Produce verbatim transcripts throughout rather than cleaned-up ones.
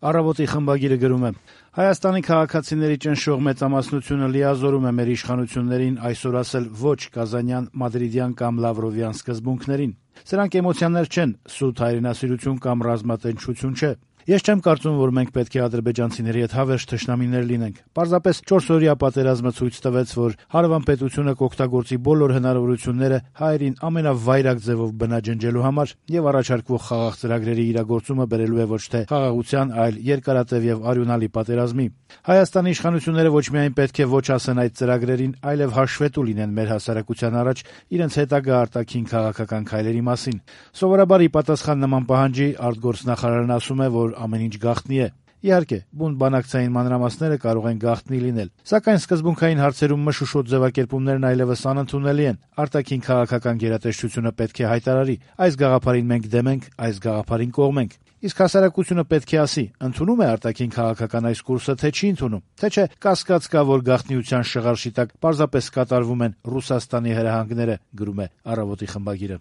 Առավոտի խմբագիրը գրում է. Հայաստանի քաղաքացիների ճնշող մեծամասնությունը լիազորում է մեր իշխանություններին այսօր ասել ոչ կազանյան, մադրիդյան կամ լավրովյան սկզբունքներին։ Սրանք էմոցիաներ չեն, սուտ հայրենասիրություն կամ ռազմատենչություն չէ։ Ես չեմ կարծում, որ մենք պետք է ադրբեջանցիների հետ հավերժ թշնամիներ լինենք։ Պարզապես չորսօրյա պատերազմը ցույց տվեց, որ հարևան պետությունը կօգտագործի բոլոր հնարավորությունները հայերին ամենավայրագ ձևով բնաջնջելու համար եւ առաջարկվող խաղաղ ծրագրերի իրագործումը բերելու է ոչ թե խաղաղության, այլ երկարատև եւ արյունալի պատերազմի։ Հայաստանի իշխանությունները ոչ միայն պետք է ոչ ասեն այդ ծրագրերին, այլև հաշվետու լինեն մեր հասարակության առաջ իրենց հետագա արտաքին քաղաքական քայլերի մասին։ Սովորաբար ի պատասխան նման պահանջի արտգործնախարարն ասում է, որ ամեն ինչ գաղտնի է։ Իհարկե, բուն բանակցային մանրամասները կարող են գաղտնի լինել, սակայն սկզբունքային հարցերում մշուշոտ ձևակերպումներն այլևս անընդունելի են։ Արտաքին քաղաքական գերատեսչությունը պետք է հայտարարի. այս գաղափարին մենք դեմ ենք, այս գաղափարին կողմ ենք։ Իսկ հասարակությունը պետք է ասի՝ ընդունում է արտաքին քաղաքական այս կուրսը, թե չի ընդունում, թե չէ կասկած կա, որ գաղտնիության շղարշի տակ պարզապես կատարվում են Ռուսաստանի հրահանգները, գրում է Առավոտի խմբագիրը։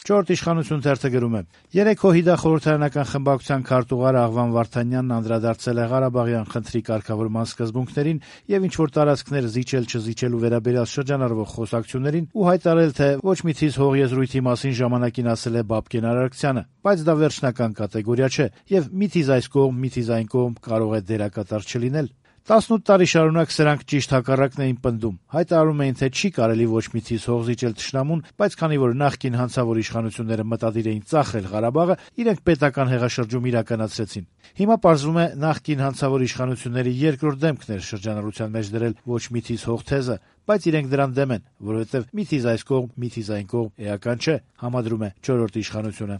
Չորրորդ իշխանություն թերթը գրում է. երեքօ ՀՅԴ խորհրդարանական խմբակցության քարտուղար Աղվան Վարդանյանն անդրադարձել է Ղարաբաղյան խնդրի կարգավորման սկզբունքներին եւ ինչ-որ տարածքներ զիջել-չզիջելու վերաբերյալ շրջանառվող խոսակցություններին ու հայտարարել, թե ոչ մի թիզ հողեզրույթի մասին ժամանակին ասել է Բաբկեն Արարքցյանը, բայց դա վերջնական կատեգորիա չէ եւ մի թիզ այս կողմ, մի թիզ այն կողմ կարող է դերակատար չլինել։ տասնութ տարի շարունակ սրանք ճիշտ հակառակն էին պնդում, հայտարարում էին, թե չի կարելի ոչ մի թիզ հող զիջել թշնամուն, բայց քանի որ նախկին հանցավոր իշխանությունները մտադիր էին ծախել Ղարաբաղը, իրենք պետական հեղաշրջում իրականացրեցին։ Հիմա պարզվում է նախկին հանցավոր իշխանությունների երկրորդ դեմքն էր շրջանառության մեջ դրել ոչ մի թիզ հող թեզը, բայց իրենք դրան դեմ են, որովհետեւ մի թիզ այս կողմ, մի թիզ այն կողմ էական չէ, համադրում է չորրորդ իշխանությունը։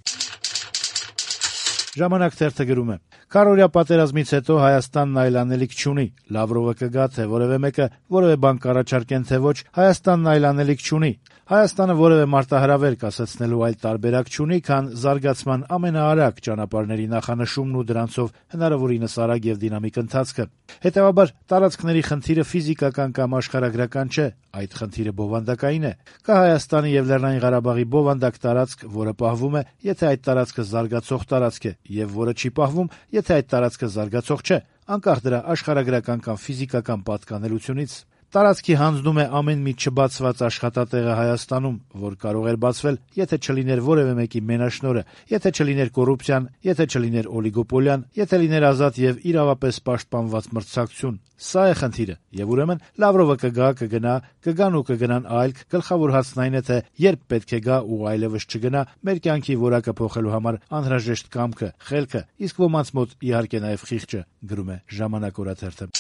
Ժամանակ թերթը գրում է. Քառօրյա պատերազմից հետո Հայաստանն այլ անելիք չունի։ Լավրովը կգա, թե որևէ մեկը որևէ բան կառաջարկեն, թե ոչ, Հայաստանն այլ անելիք չունի։ Հայաստանը որևէ մարտահրավեր կասեցնելու այլ տարբերակ չունի, քան զարգացման ամենաարագ ճանապարհների նախանշումն ու դրանցով հնարավորինս արագ եւ դինամիկ ընթացքը։ Հետեւաբար, տարածքների խնդիրը ֆիզիկական կամ աշխարհագրական չէ, այդ խնդիրը բովանդակային է։ Կա Հայաստանի եւ Լեռնային Ղարաբաղի բովանդակ տարածք, որը պահվում է, եթե այդ տարածքը զարգացող տարածք է, եւ որը չի պահվում, եթե այդ տարածքը զարգացող չէ, անկախ դրա աշխարհագրական կամ ֆիզիկական պատկանելությունից։ Տարածքի հանձնում է ամեն մի չբացված աշխատատեղը Հայաստանում, որ կարող էր բացվել, եթե չլիներ որևէ մեկի մենաշնորհը, եթե չլիներ կոռուպցիան, եթե չլիներ օլիգոպոլիան, եթե լիներ ազատ եւ իրավապես պաշտպանված մրցակցություն։ Սա է խնդիրը, եւ ուրեմն Լավրովը կգա, կգնա, կգան ու կգնան այլք, գլխավոր հարցն այն է, թե երբ պետք է գա ու այլևս չգնա, մեր կյանքի որակը փոխելու համար անհրաժեշտ կամքը, խելքը, իսկ ոմանց մոտ իհարկե նաեւ խիղճը, գրում է Ժամանակ օրաթերթը։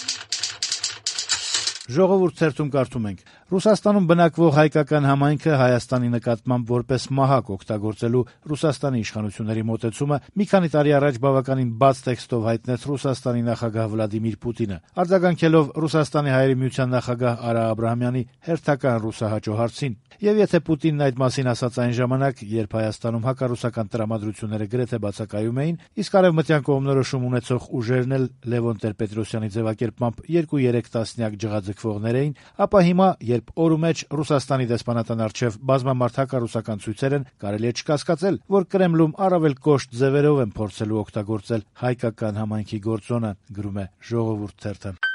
Ժողովուրդ թերթում կարդում ենք. Ռուսաստանում բնակվող հայկական համայնքը Հայաստանի նկատմամբ որպես մահակ օգտագործելու Ռուսաստանի իշխանությունների մոտեցումը մի քանի տարի առաջ բավականին բաց տեքստով հայտնեց Ռուսաստանի նախագահ Վլադիմիր Պուտինը, արձագանքելով Ռուսաստանի Հայերի Միության նախագահ Արա Աբրահամյանի հերթական ռուսահաճո հարցին։ Եվ եթե Պուտինն այդ մասին ասաց այն ժամանակ, երբ Հայաստանում հակառուսական տրամադրությունները գրեթե բացակայում էին, իսկ արևմտյան կողմնորոշում ունեցող ուժերն էլ Լևոն Տեր-Պետրոսյանի ձևակերպմամբ երկու-երեք տասնյակ ջղաձգվողներ էին, ապա հիմա, երբ օրու մեջ Ռուսաստանի դեսպանատան առջև բազմամարդ հակառուսական ցույցեր են, կարելի է չկասկածել, որ Կրեմլում առավել կոշտ ձևերով են փորձելու օգտագործել հայկական համայնքի գործոնը, գրում է Ժողովուրդ թերթը։